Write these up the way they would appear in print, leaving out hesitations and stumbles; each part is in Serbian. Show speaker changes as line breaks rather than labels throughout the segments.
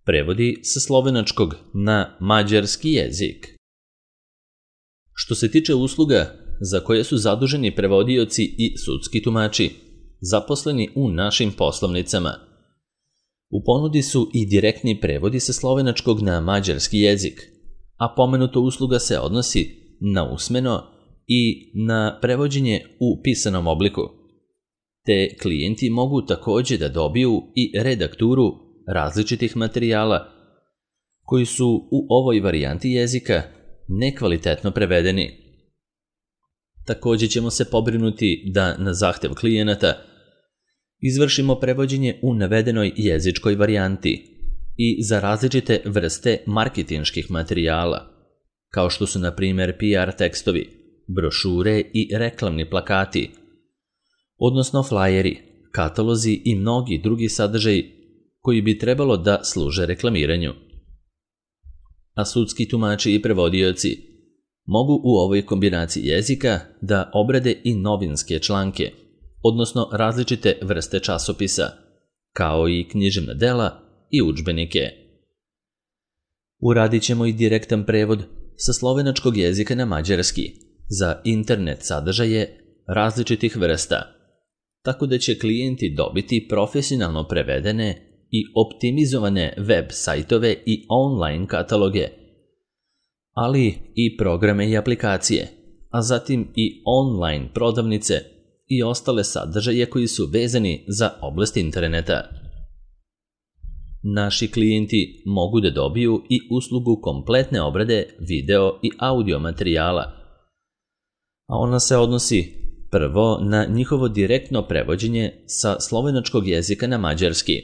prevodi sa slovenačkog na mađarski jezik. Što se tiče usluga za koje su zaduženi prevodioci i sudski tumači, zaposleni u našim poslovnicama, u ponudi su i direktni prevodi sa slovenačkog na mađarski jezik, a pomenuta usluga se odnosi na usmeno i na prevođenje u pisanom obliku. Te klijenti mogu također da dobiju i redakturu različitih materijala koji su u ovoj varijanti jezika nekvalitetno prevedeni. Također ćemo se pobrinuti da na zahtev klijenata izvršimo prevođenje u navedenoj jezičkoj varijanti i za različite vrste marketinških materijala, kao što su na primjer PR tekstovi, brošure i reklamni plakati, odnosno flajeri, katalozi i mnogi drugi sadržaji koji bi trebalo da služe reklamiranju. A sudski tumači i prevodioci mogu u ovoj kombinaciji jezika da obrade i novinske članke, odnosno različite vrste časopisa, kao i književna dela i udžbenike. Uradit ćemo i direktan prevod sa slovenačkog jezika na mađarski za internet sadržaje različitih vrsta, tako da će klijenti dobiti profesionalno prevedene i optimizovane web sajtove i online kataloge, ali i programe i aplikacije, a zatim i online prodavnice i ostale sadržaje koji su vezani za oblast interneta. Naši klijenti mogu da dobiju i uslugu kompletne obrade video i audio materijala, a ona se odnosi prvo na njihovo direktno prevođenje sa slovenačkog jezika na mađarski,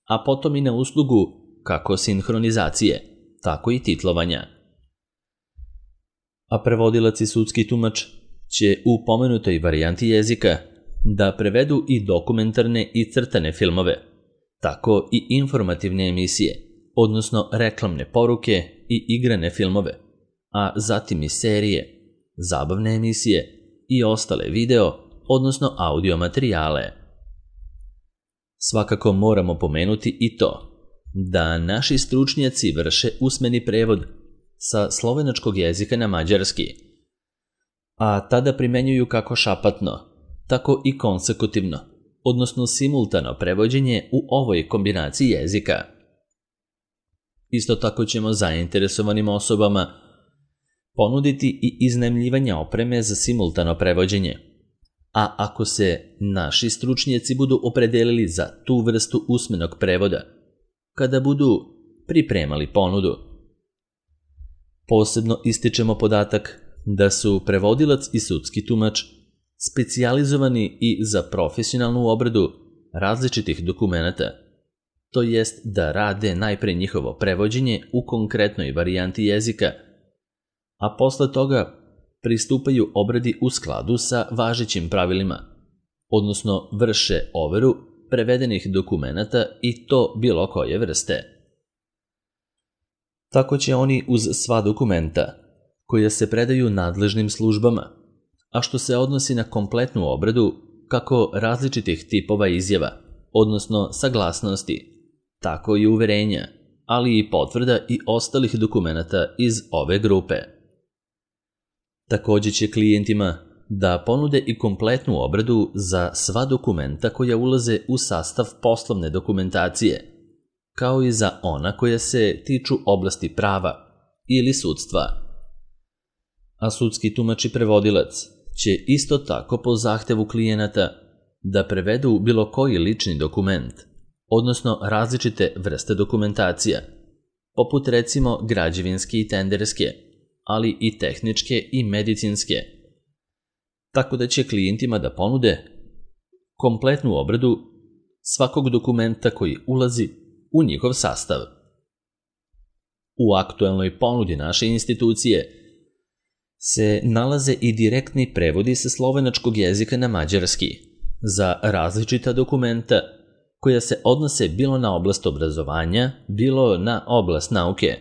a potom i na uslugu kako sinhronizacije, tako i titlovanja. A prevodilac i sudski tumač će u pomenutoj varijanti jezika da prevedu i dokumentarne i crtane filmove, tako i informativne emisije, odnosno reklamne poruke i igrane filmove, a zatim i serije, zabavne emisije i ostale video, odnosno audio materijale. Svakako moramo pomenuti i to da naši stručnjaci vrše usmeni prevod sa slovenačkog jezika na mađarski, a tada primenjuju kako šapatno, tako i konsekutivno, odnosno simultano prevođenje u ovoj kombinaciji jezika. Isto tako ćemo zainteresovanim osobama ponuditi i iznajmljivanje opreme za simultano prevođenje, a ako se naši stručnjaci budu opredelili za tu vrstu usmenog prevoda, kada budu pripremali ponudu. Posebno ističemo podatak da su prevodilac i sudski tumač specijalizovani i za profesionalnu obradu različitih dokumenata, to jest da rade najpre njihovo prevođenje u konkretnoj varijanti jezika, a posle toga pristupaju obradi u skladu sa važećim pravilima, odnosno vrše overu prevedenih dokumenata i to bilo koje vrste. Tako će oni uz sva dokumenta, koja se predaju nadležnim službama, a što se odnosi na kompletnu obradu kako različitih tipova izjava, odnosno saglasnosti, tako i uverenja, ali i potvrda i ostalih dokumenata iz ove grupe. Također će klijentima da ponude i kompletnu obradu za sva dokumenta koja ulaze u sastav poslovne dokumentacije, kao i za ona koja se tiču oblasti prava ili sudstva. A sudski tumač i prevodilac će isto tako po zahtevu klijenata da prevedu bilo koji lični dokument, odnosno različite vrste dokumentacija, poput recimo građevinske i tenderske, ali i tehničke i medicinske, tako da će klijentima da ponude kompletnu obradu svakog dokumenta koji ulazi u njihov sastav. U aktuelnoj ponudi naše institucije se nalaze i direktni prevodi sa slovenačkog jezika na mađarski za različita dokumenta koja se odnose bilo na oblast obrazovanja, bilo na oblast nauke,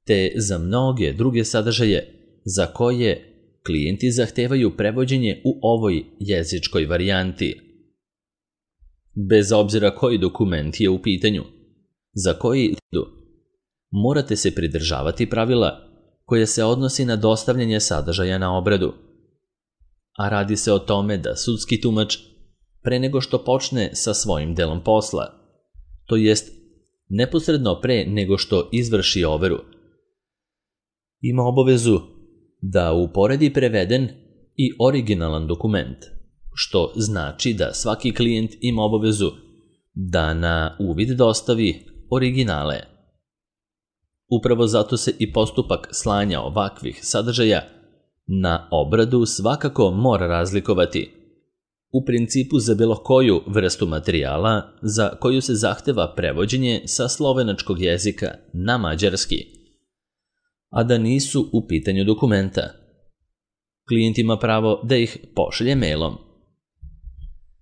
te za mnoge druge sadržaje za koje klijenti zahtevaju prevođenje u ovoj jezičkoj varijanti. Bez obzira koji dokument je u pitanju, za koji morate se pridržavati pravila koje se odnosi na dostavljanje sadržaja na obradu. A radi se o tome da sudski tumač, pre nego što počne sa svojim delom posla, to jest neposredno pre nego što izvrši overu, ima obavezu da uporedi preveden i originalan dokument, što znači da svaki klijent ima obavezu da na uvid dostavi originale. Upravo zato se i postupak slanja ovakvih sadržaja na obradu svakako mora razlikovati. U principu za bilo koju vrstu materijala za koju se zahteva prevođenje sa slovenačkog jezika na mađarski, a da nisu u pitanju dokumenta. Klijent ima pravo da ih pošalje mailom.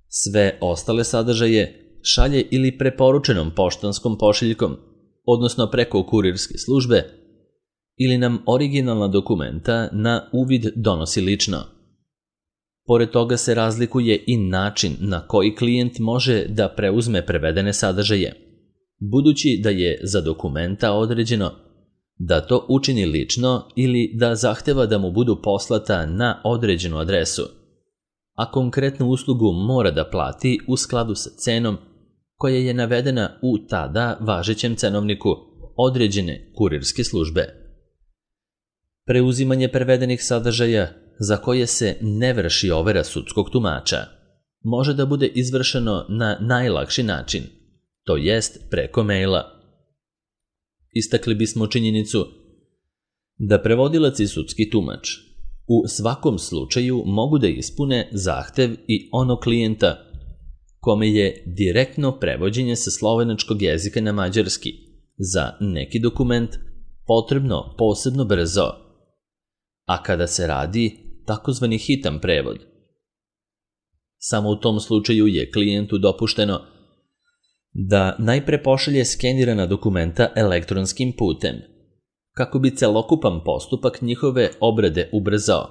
Sve ostale sadržaje šalje ili preporučenom poštanskom pošiljkom, odnosno preko kurirske službe, ili nam originalna dokumenta na uvid donosi lično. Pored toga se razlikuje i način na koji klijent može da preuzme prevedene sadržaje, budući da je za dokumenta određeno da to učini lično ili da zahteva da mu budu poslata na određenu adresu, a konkretnu uslugu mora da plati u skladu sa cenom koja je navedena u tada važećem cenovniku određene kurirske službe. Preuzimanje prevedenih sadržaja za koje se ne vrši overa sudskog tumača može da bude izvršeno na najlakši način, to jest preko maila. Istakli bismo činjenicu da prevodilac i sudski tumač u svakom slučaju mogu da ispune zahtev i onog klijenta kome je direktno prevođenje sa slovenačkog jezika na mađarski za neki dokument potrebno posebno brzo, a kada se radi takozvani hitan prevod. Samo u tom slučaju je klijentu dopušteno da najpre pošalje skenirana dokumenta elektronskim putem, kako bi celokupan postupak njihove obrade ubrzao,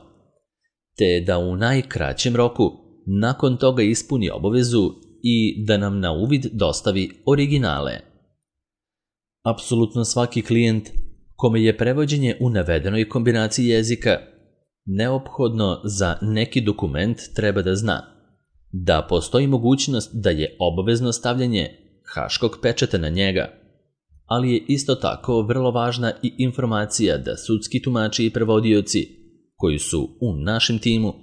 te da u najkraćem roku nakon toga ispuni obavezu i da nam na uvid dostavi originale. Apsolutno svaki klijent kome je prevođenje u navedenoj kombinaciji jezika neophodno za neki dokument treba da zna da postoji mogućnost da je obavezno stavljanje haškog pečata na njega, ali je isto tako vrlo važna i informacija da sudski tumači i prevodioci koji su u našem timu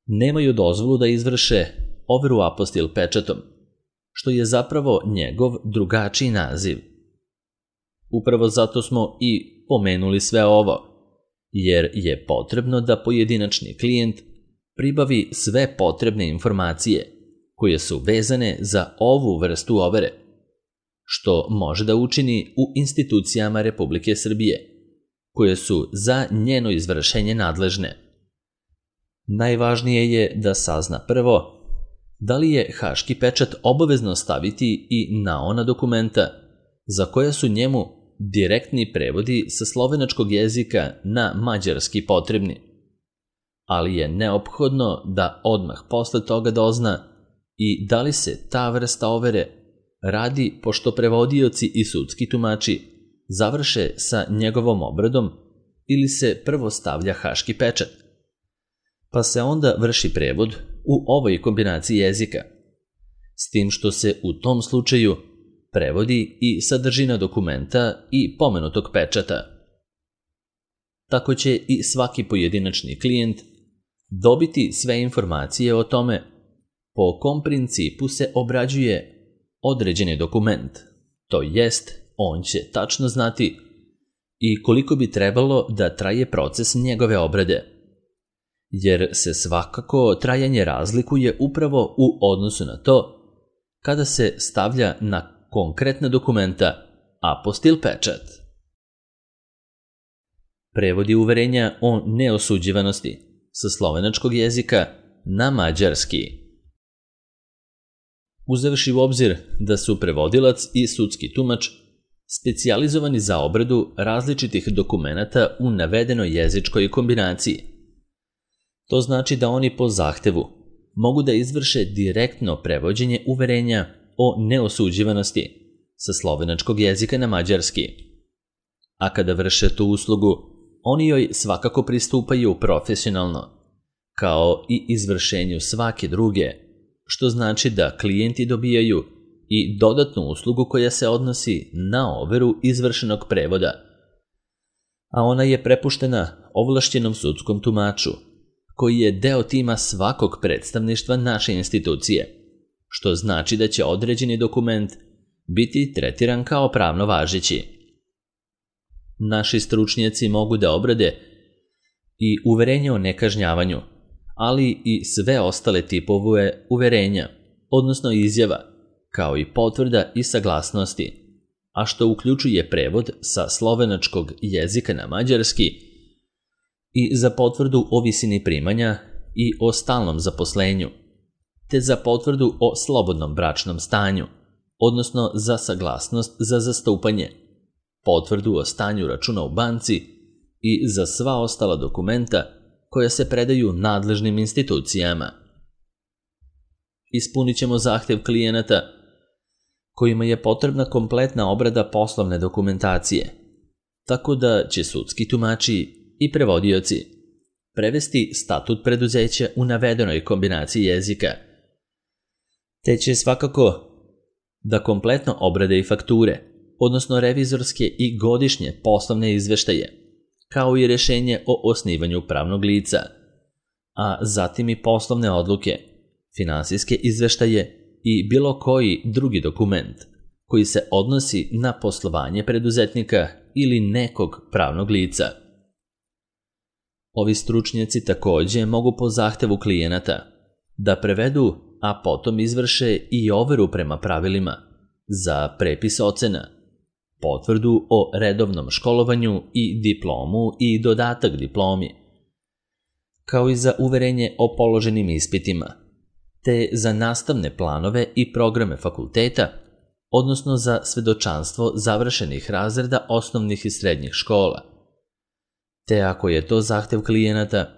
nemaju dozvolu da izvrše overu apostil pečatom, što je zapravo njegov drugačiji naziv. Upravo zato smo i pomenuli sve ovo, jer je potrebno da pojedinačni klijent pribavi sve potrebne informacije koje su vezane za ovu vrstu overe, što može da učini u institucijama Republike Srbije, koje su za njeno izvršenje nadležne. Najvažnije je da sazna prvo da li je haški pečat obavezno staviti i na ona dokumenta za koja su njemu direktni prevodi sa slovenačkog jezika na mađarski potrebni, ali je neophodno da odmah posle toga dozna i da li se ta vrsta overe radi pošto prevodioci i sudski tumači završe sa njegovom obradom ili se prvo stavlja haški pečat, pa se onda vrši prevod u ovoj kombinaciji jezika, s tim što se u tom slučaju prevodi i sadržina dokumenta i pomenutog pečata. Tako će i svaki pojedinačni klijent dobiti sve informacije o tome po kom principu se obrađuje određeni dokument, to jest on će tačno znati i koliko bi trebalo da traje proces njegove obrade, jer se svakako trajanje razlikuje upravo u odnosu na to kada se stavlja na konkretna dokumenta apostil pečat. Prevodi uverenja o neosuđivanosti sa slovenačkog jezika na mađarski. Uzevši u obzir da su prevodilac i sudski tumač specijalizovani za obradu različitih dokumenata u navedenoj jezičkoj kombinaciji, to znači da oni po zahtevu mogu da izvrše direktno prevođenje uverenja o neosuđivanosti sa slovenačkog jezika na mađarski. A kada vrše tu uslugu, oni joj svakako pristupaju profesionalno, kao i izvršenju svake druge, što znači da klijenti dobijaju i dodatnu uslugu koja se odnosi na overu izvršenog prevoda, a ona je prepuštena ovlašćenom sudskom tumaču, koji je deo tima svakog predstavništva naše institucije, što znači da će određeni dokument biti tretiran kao pravno važeći. Naši stručnjaci mogu da obrade i uverenje o nekažnjavanju, ali i sve ostale tipove uverenja, odnosno izjava, kao i potvrda i saglasnosti, a što uključuje prevod sa slovenačkog jezika na mađarski i za potvrdu o visini primanja i o stalnom zaposlenju, te za potvrdu o slobodnom bračnom stanju, odnosno za saglasnost za zastupanje, potvrdu o stanju računa u banci i za sva ostala dokumenta koja se predaju nadležnim institucijama. Ispunit ćemo zahtev klijenata kojima je potrebna kompletna obrada poslovne dokumentacije, tako da će sudski tumači i prevodioci prevesti statut preduzeća u navedenoj kombinaciji jezika, te će svakako da kompletno obrade i fakture, odnosno revizorske i godišnje poslovne izveštaje, kao i rješenje o osnivanju pravnog lica, a zatim i poslovne odluke, finansijske izveštaje i bilo koji drugi dokument koji se odnosi na poslovanje preduzetnika ili nekog pravnog lica. Ovi stručnjaci također mogu po zahtevu klijenata da prevedu, a potom izvrše i overu prema pravilima za prepis ocena, potvrdu o redovnom školovanju i diplomu i dodatak diplomi, kao i za uverenje o položenim ispitima, te za nastavne planove i programe fakulteta, odnosno za svedočanstvo završenih razreda osnovnih i srednjih škola. Te ako je to zahtev klijenata,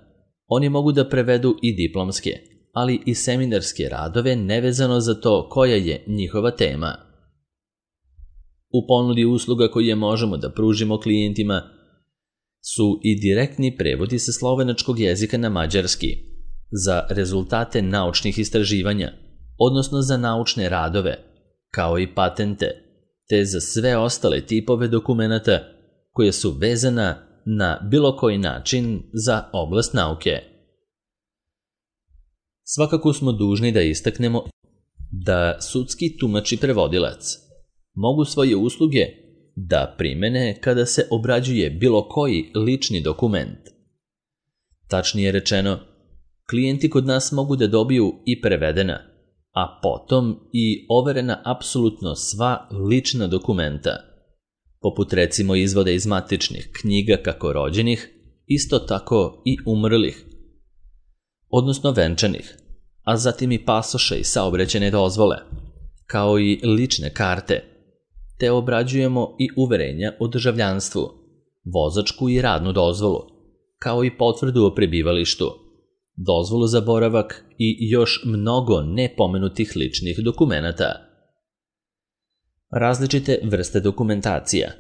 oni mogu da prevedu i diplomske, ali i seminarske radove nevezano za to koja je njihova tema. U ponudi usluga koje možemo da pružimo klijentima su i direktni prevodi sa slovenačkog jezika na mađarski za rezultate naučnih istraživanja, odnosno za naučne radove, kao i patente, te za sve ostale tipove dokumenata koje su vezana na bilo koji način za oblast nauke. Svakako smo dužni da istaknemo da sudski tumač i prevodilac mogu svoje usluge da primene kada se obrađuje bilo koji lični dokument. Tačnije rečeno, klijenti kod nas mogu da dobiju i prevedena, a potom i overena apsolutno sva lična dokumenta, poput recimo izvoda iz matičnih knjiga kako rođenih, isto tako i umrlih, odnosno venčanih, a zatim i pasoše i saobraćajne dozvole, kao i lične karte, te obrađujemo i uverenja o državljanstvu, vozačku i radnu dozvolu, kao i potvrdu o prebivalištu, dozvolu za boravak i još mnogo nepomenutih ličnih dokumenata. Različite vrste dokumentacija,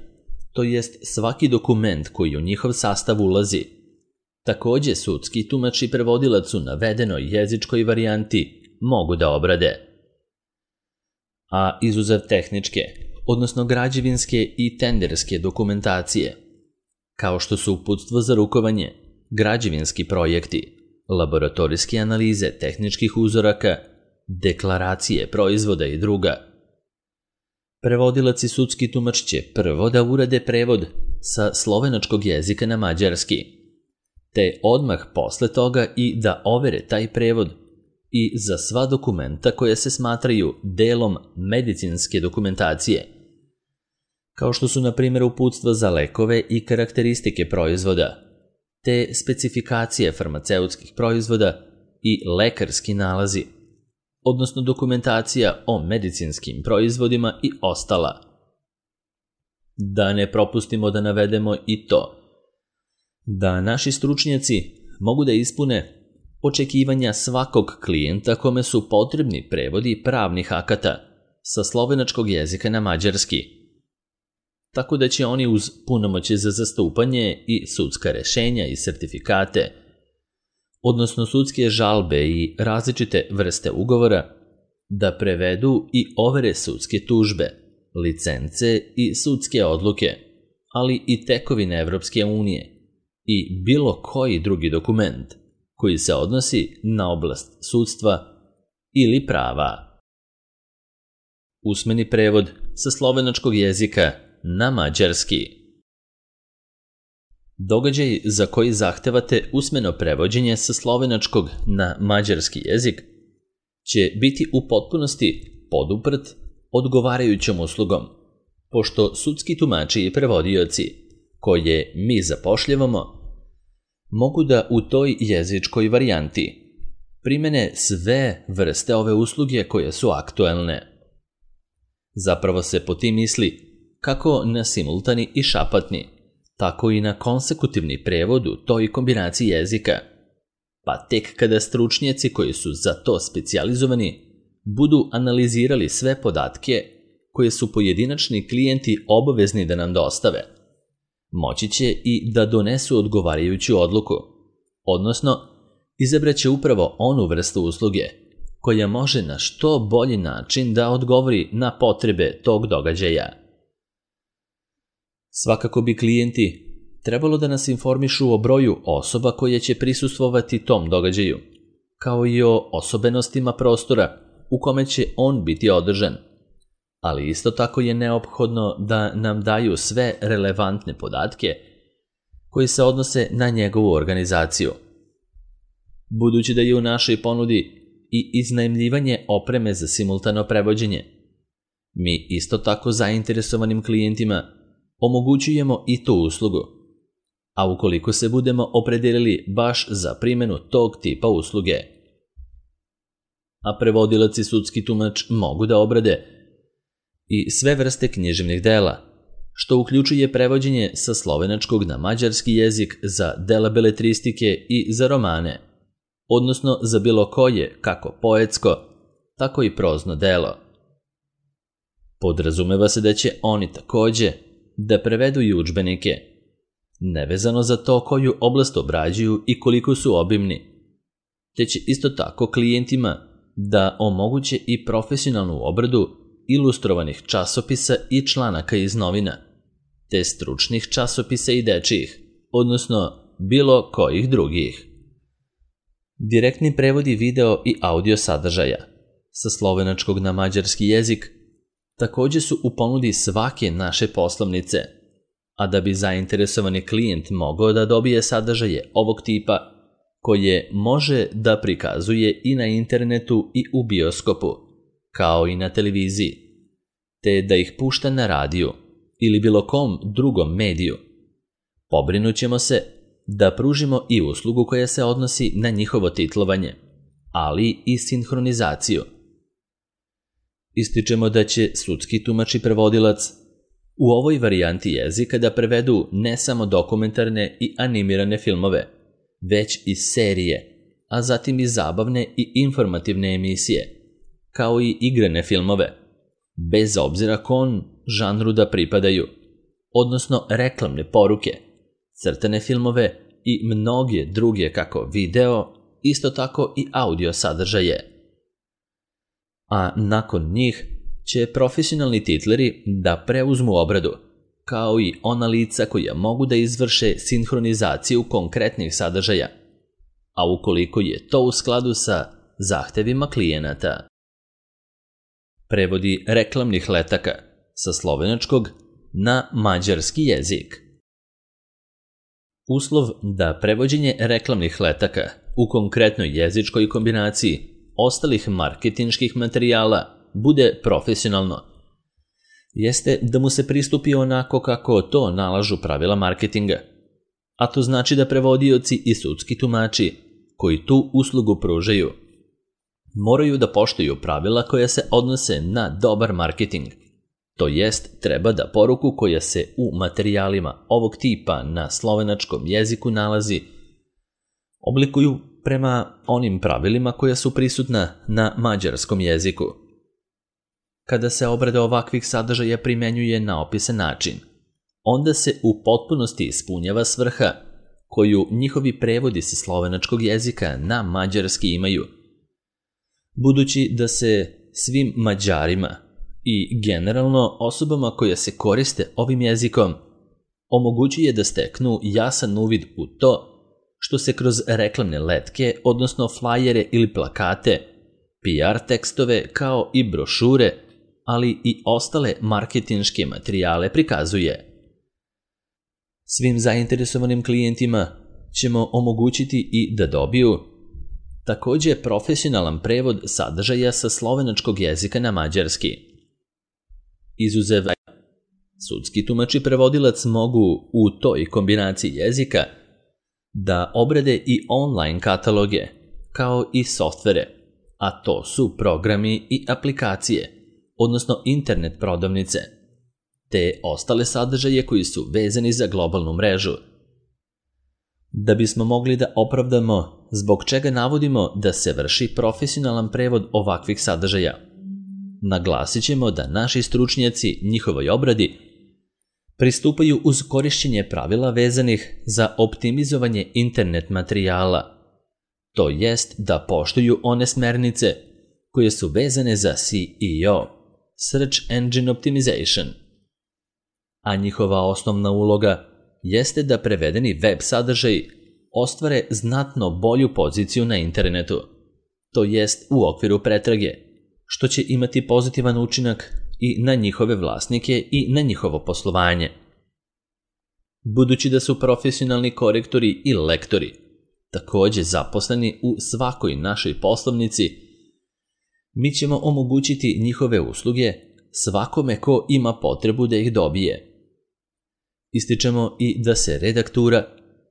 to jest svaki dokument koji u njihov sastav ulazi, također sudski tumač i prevodilac u navedenoj jezičkoj varijanti mogu da obrade. A izuzev tehničke, odnosno građevinske i tenderske dokumentacije, kao što su uputstvo za rukovanje, građevinski projekti, laboratorijske analize tehničkih uzoraka, deklaracije proizvoda i druga. Prevodilac i sudski tumač će prvo da urade prevod sa slovenačkog jezika na mađarski, te odmah posle toga i da overe taj prevod i za sva dokumenta koja se smatraju delom medicinske dokumentacije, kao što su na primjer uputstva za lekove i karakteristike proizvoda, te specifikacije farmaceutskih proizvoda i lekarski nalazi, odnosno dokumentacija o medicinskim proizvodima i ostala. Da ne propustimo da navedemo i to, da naši stručnjaci mogu da ispune očekivanja svakog klijenta kome su potrebni prevodi pravnih akata sa slovenačkog jezika na mađarski, tako da će oni uz punomoćje za zastupanje i sudska rešenja i sertifikate, odnosno sudske žalbe i različite vrste ugovora, da prevedu i overe sudske tužbe, licence i sudske odluke, ali i tekovine Evropske unije i bilo koji drugi dokument koji se odnosi na oblast sudstva ili prava. Usmeni prevod sa slovenačkog jezika na mađarski. Događaj za koji zahtevate usmeno prevođenje sa slovenačkog na mađarski jezik će biti u potpunosti poduprt odgovarajućom uslugom, pošto sudski tumači i prevodioci koje mi zapošljavamo mogu da u toj jezičkoj varijanti primene sve vrste ove usluge koje su aktuelne. Zapravo se po tim misli kako na simultani i šapatni, tako i na konsekutivni prevod u toj kombinaciji jezika, pa tek kada stručnjaci koji su za to specijalizovani budu analizirali sve podatke koje su pojedinačni klijenti obavezni da nam dostave, moći će i da donesu odgovarajuću odluku, odnosno izabraće upravo onu vrstu usluge koja može na što bolji način da odgovori na potrebe tog događaja. Svakako bi klijenti trebalo da nas informišu o broju osoba koje će prisustvovati tom događaju, kao i o osobenostima prostora u kome će on biti održan, ali isto tako je neophodno da nam daju sve relevantne podatke koji se odnose na njegovu organizaciju. Budući da je u našoj ponudi i iznajmljivanje opreme za simultano prevođenje, mi isto tako zainteresovanim klijentima omogućujemo i tu uslugu, a ukoliko se budemo opredelili baš za primjenu tog tipa usluge. A prevodilac i sudski tumač mogu da obrade i sve vrste književnih dela, što uključuje prevođenje sa slovenačkog na mađarski jezik za dela beletristike i za romane, odnosno za bilo koje, kako poetsko, tako i prozno delo. Podrazumeva se da će oni takođe da prevedu i udžbenike, nevezano za to koju oblast obrađuju i koliko su obimni, te će isto tako klijentima da omoguće i profesionalnu obradu ilustrovanih časopisa i članaka iz novina, te stručnih časopisa i dečijih, odnosno bilo kojih drugih. Direktni prevodi video i audio sadržaja sa slovenačkog na mađarski jezik takođe su u ponudi svake naše poslovnice, a da bi zainteresovani klijent mogao da dobije sadržaje ovog tipa koje može da prikazuje i na internetu i u bioskopu, kao i na televiziji, te da ih pušta na radiju ili bilo kom drugom mediju, pobrinućemo se da pružimo i uslugu koja se odnosi na njihovo titlovanje, ali i sinhronizaciju. Ističemo da će sudski tumač i prevodilac u ovoj varijanti jezika da prevedu ne samo dokumentarne i animirane filmove, već i serije, a zatim i zabavne i informativne emisije, kao i igrane filmove, bez obzira kom žanru da pripadaju, odnosno reklamne poruke, crtane filmove i mnoge druge kako video, isto tako i audio sadržaje. A nakon njih će profesionalni titleri da preuzmu obradu, kao i ona lica koja mogu da izvrše sinhronizaciju konkretnih sadržaja, a ukoliko je to u skladu sa zahtevima klijenata. Prevodi reklamnih letaka sa slovenačkog na mađarski jezik. Uslov da prevođenje reklamnih letaka u konkretnoj jezičkoj kombinaciji ostalih marketinških materijala bude profesionalno, jeste da mu se pristupi onako kako to nalažu pravila marketinga, a to znači da prevodioci i sudski tumači koji tu uslugu pružaju moraju da poštuju pravila koja se odnose na dobar marketing, to jest treba da poruku koja se u materijalima ovog tipa na slovenačkom jeziku nalazi oblikuju prema onim pravilima koja su prisutna na mađarskom jeziku. Kada se obrada ovakvih sadržaja primenjuje na opisan način, onda se u potpunosti ispunjava svrha koju njihovi prevodi sa slovenačkog jezika na mađarski imaju. Budući da se svim Mađarima i generalno osobama koje se koriste ovim jezikom omogućuje da steknu jasan uvid u to što se kroz reklamne letke, odnosno flajere ili plakate, PR tekstove kao i brošure, ali i ostale marketinške materijale prikazuje. Svim zainteresovanim klijentima ćemo omogućiti i da dobiju takođe profesionalan prevod sadržaja sa slovenačkog jezika na mađarski. Izuzev sudski tumač i prevodilac mogu u toj kombinaciji jezika da obrade i online kataloge, kao i softvere, a to su programi i aplikacije, odnosno internet prodavnice, te ostale sadržaje koji su vezani za globalnu mrežu. Da bismo mogli da opravdamo zbog čega navodimo da se vrši profesionalan prevod ovakvih sadržaja, naglasit ćemo da naši stručnjaci njihovoj obradi pristupaju uz korišćenje pravila vezanih za optimizovanje internet materijala, to jest da poštuju one smernice koje su vezane za SEO, Search Engine Optimization, a njihova osnovna uloga jeste da prevedeni web sadržaj ostvare znatno bolju poziciju na internetu, to jest u okviru pretrage, što će imati pozitivan učinak i na njihove vlasnike i na njihovo poslovanje. Budući da su profesionalni korektori i lektori takođe zaposleni u svakoj našoj poslovnici, mi ćemo omogućiti njihove usluge svakome ko ima potrebu da ih dobije. Ističemo i da se redaktura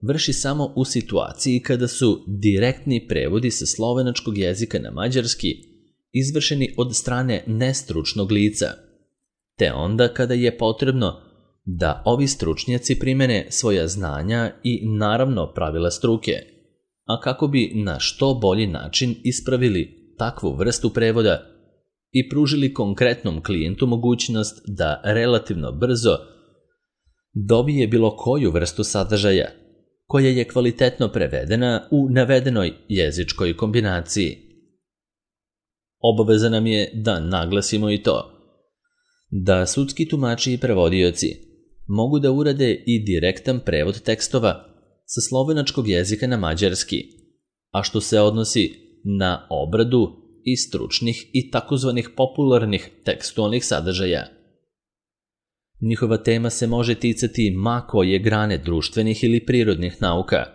vrši samo u situaciji kada su direktni prevodi sa slovenačkog jezika na mađarski izvršeni od strane nestručnog lica, te onda kada je potrebno da ovi stručnjaci primene svoja znanja i naravno pravila struke, a kako bi na što bolji način ispravili takvu vrstu prevoda i pružili konkretnom klijentu mogućnost da relativno brzo dobije bilo koju vrstu sadržaja koja je kvalitetno prevedena u navedenoj jezičkoj kombinaciji. Obaveza nam je da naglasimo i to da sudski tumači i prevodioci mogu da urade i direktan prevod tekstova sa slovenačkog jezika na mađarski, a što se odnosi na obradu i stručnih i takozvanih popularnih tekstualnih sadržaja. Njihova tema se može ticati ma koje grane društvenih ili prirodnih nauka,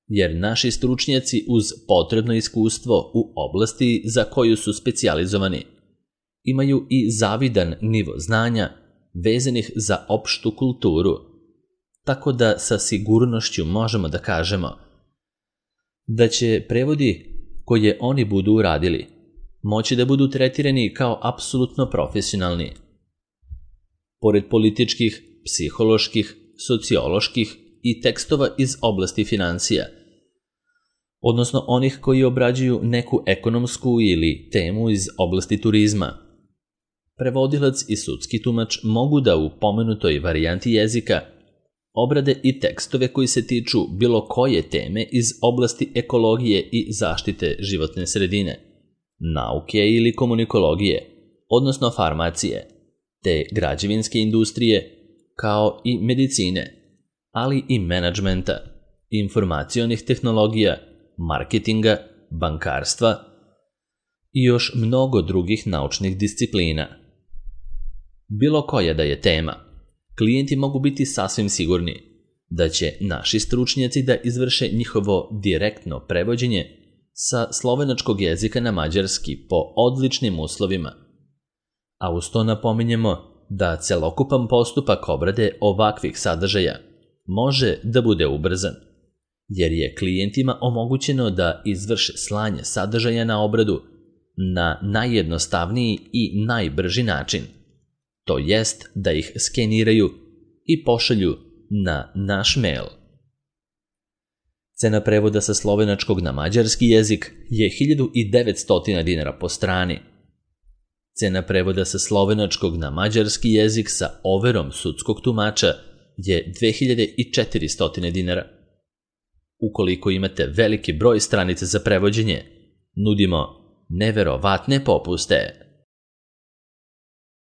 jer naši stručnjaci uz potrebno iskustvo u oblasti za koju su specijalizovani imaju i zavidan nivo znanja vezanih za opštu kulturu, tako da sa sigurnošću možemo da kažemo da će prevodi koje oni budu uradili moći da budu tretirani kao apsolutno profesionalni. Pored političkih, psiholoških, socioloških i tekstova iz oblasti finansija, odnosno onih koji obrađuju neku ekonomsku ili temu iz oblasti turizma, prevodilac i sudski tumač mogu da u pomenutoj varijanti jezika obrade i tekstove koji se tiču bilo koje teme iz oblasti ekologije i zaštite životne sredine, nauke ili komunikologije, odnosno farmacije, te građevinske industrije, kao i medicine, ali i menadžmenta, informacionih tehnologija, marketinga, bankarstva i još mnogo drugih naučnih disciplina. Bilo koja da je tema, klijenti mogu biti sasvim sigurni da će naši stručnjaci da izvrše njihovo direktno prevođenje sa slovenačkog jezika na mađarski po odličnim uslovima. A uz to napominjemo da celokupan postupak obrade ovakvih sadržaja može da bude ubrzan, jer je klijentima omogućeno da izvrše slanje sadržaja na obradu na najjednostavniji i najbrži način, to jest da ih skeniraju i pošalju na naš mail. Cena prevoda sa slovenačkog na mađarski jezik je 1900 dinara po strani. Cena prevoda sa slovenačkog na mađarski jezik sa overom sudskog tumača je 2400 dinara. Ukoliko imate veliki broj stranica za prevođenje, nudimo neverovatne popuste.